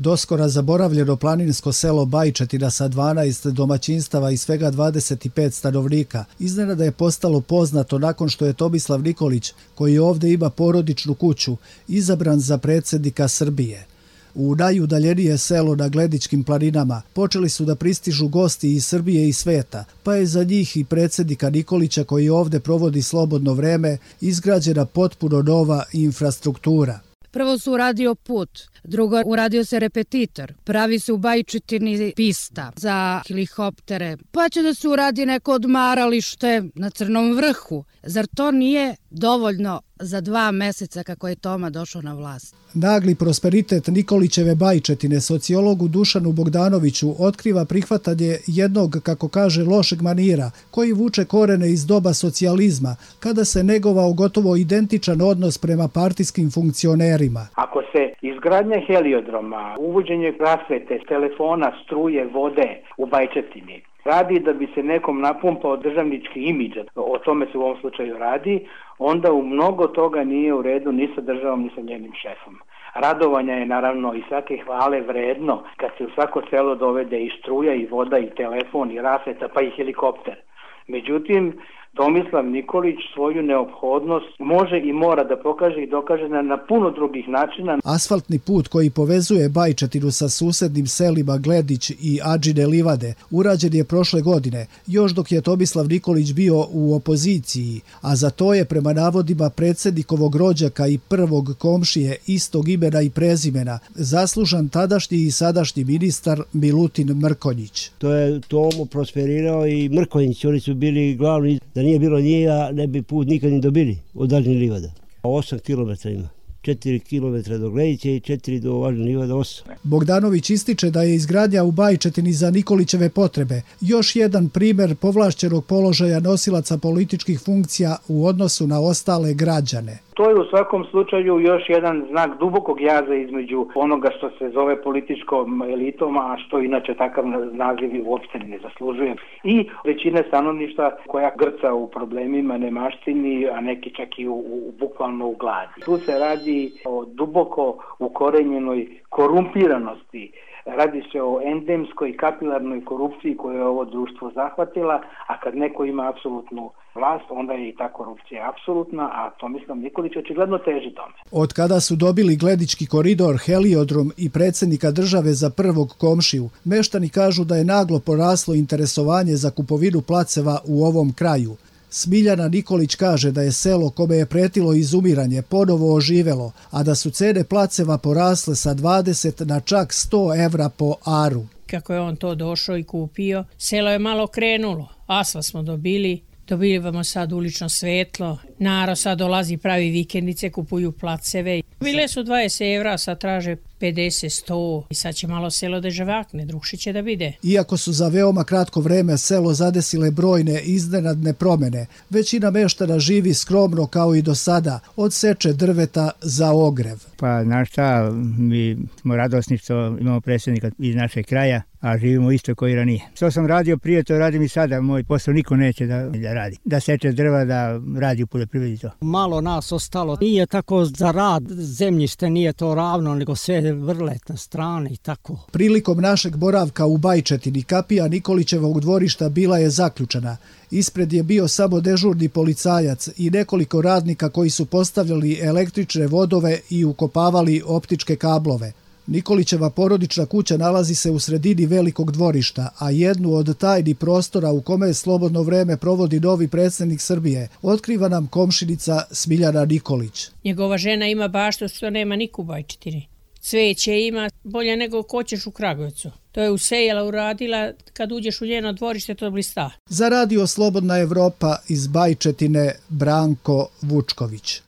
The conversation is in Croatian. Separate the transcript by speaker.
Speaker 1: Doskora zaboravljeno planinsko selo Bajčetina sa 12 domaćinstava i svega 25 stanovnika iznenada je postalo poznato nakon što je Tomislav Nikolić, koji ovdje ima porodičnu kuću, izabran za predsjednika Srbije. U najudaljenije selo na Gledičkim planinama počeli su da pristižu gosti iz Srbije i sveta, pa je za njih i predsjednika Nikolića, koji ovdje provodi slobodno vreme, izgrađena potpuno nova infrastruktura.
Speaker 2: Prvo su uradio put, drugo uradio se repetitor, pravi se u Bajčetini pista za helikoptere, pa će da se uradi neko odmaralište na Crnom vrhu. Zar to nije dovoljno za 2 meseca kako je Toma došao na vlast?
Speaker 1: Nagli prosperitet Nikolićeve Bajčetine sociologu Dušanu Bogdanoviću otkriva prihvatanje jednog, kako kaže, lošeg manira koji vuče korene iz doba socijalizma, kada se negovao gotovo identičan odnos prema partijskim funkcionerima.
Speaker 3: Ako se izgradnja heliodroma, uvođenje rasvete, telefona, struje, vode u Bajčetini radi da bi se nekom napumpao državnički imidž, o tome se u ovom slučaju radi, onda u mnogo toga nije u redu ni sa državom ni sa njenim šefom. Radovanja je naravno i svake hvale vredno kad se u svako selo dovede i struja i voda i telefon i rasveta pa i helikopter. Međutim, Tomislav Nikolić svoju neophodnost može i mora da pokaže i dokaže na puno drugih načina.
Speaker 1: Asfaltni put koji povezuje Bajčetinu sa susednim selima Gledić i Adžine livade urađen je prošle godine, još dok je Tomislav Nikolić bio u opoziciji, a za to je prema navodima predsjednikovog rođaka i prvog komšije istog imena i prezimena zaslužan tadašnji i sadašnji ministar Milutin Mrkonjić.
Speaker 4: To je Tomo prosperirao i Mrkonjić, oni su bili glavni. Da nije bilo njega, ne bi put nikad ni dobili od Adžine livada. 8 km ima. 4 km do Gledića i 4 do Adžine livada 8.
Speaker 1: Bogdanović ističe da je izgradnja u Bajčetini za Nikolićeve potrebe još jedan primjer povlašćenog položaja nosilaca političkih funkcija u odnosu na ostale građane.
Speaker 3: To je u svakom slučaju još jedan znak dubokog jaza između onoga što se zove političkom elitom, a što inače takav naziv uopšte ne zaslužuje. I većina stanovništva koja grca u problemima, nemaštini, a neki čak i bukvalno u gladi. Tu se radi o duboko ukorenjenoj korumpiranosti. Radi se o endemskoj kapilarnoj korupciji koju je ovo društvo zahvatila, a kad neko ima apsolutnu vlast, onda je i ta korupcija apsolutna, a Tomislav Nikolić očigledno teži tome.
Speaker 1: Od kada su dobili Gledički koridor, heliodrom i predsjednika države za prvog komšiju, meštani kažu da je naglo poraslo interesovanje za kupovinu placeva u ovom kraju. Smiljana Nikolić kaže da je selo kome je pretilo izumiranje ponovo oživelo, a da su cene placeva porasle sa 20 na čak 100 evra po aru.
Speaker 5: Kako je on to došao i kupio, selo je malo krenulo. Asfalt smo dobivamo sad ulično svetlo, narod sad dolazi, pravi vikendice, kupuju placeve. Bile su 20 evra, sad traže 50, 100 i sad će malo selo da žavakne, drugši će da vide.
Speaker 1: Iako su za veoma kratko vreme selo zadesile brojne iznenadne promjene, većina meštana živi skromno kao i do sada, od seče drveta za ogrev.
Speaker 6: Pa znaš šta, mi smo radosni što imamo predsjednika iz našeg kraja, a živimo isto koji ranije. Što sam radio prije, to radim i sada. Moj posao niko neće da radi. Da seče drva, da radi u poljoprivredi to.
Speaker 7: Malo nas ostalo. Nije tako za rad zemljište, nije to ravno, nego sve vrlet na strane i tako.
Speaker 1: Prilikom našeg boravka u Bajčetini kapija Nikolićevog dvorišta bila je zaključana. Ispred je bio samo dežurni policajac i nekoliko radnika koji su postavljali električne vodove i ukopavali optičke kablove. Nikolićeva porodična kuća nalazi se u sredini velikog dvorišta, a jednu od tajnih prostora u kome slobodno vreme provodi novi predsjednik Srbije otkriva nam komšinica Smiljana Nikolić.
Speaker 5: Njegova žena ima baštu što nema niko u Bajčetini. Cveće ima bolje nego ko ćeš u Kragujevcu. To je usejala, uradila, kad uđeš u njeno dvorište to blista.
Speaker 1: Za Radio Slobodna Evropa iz Bajčetine, Branko Vučković.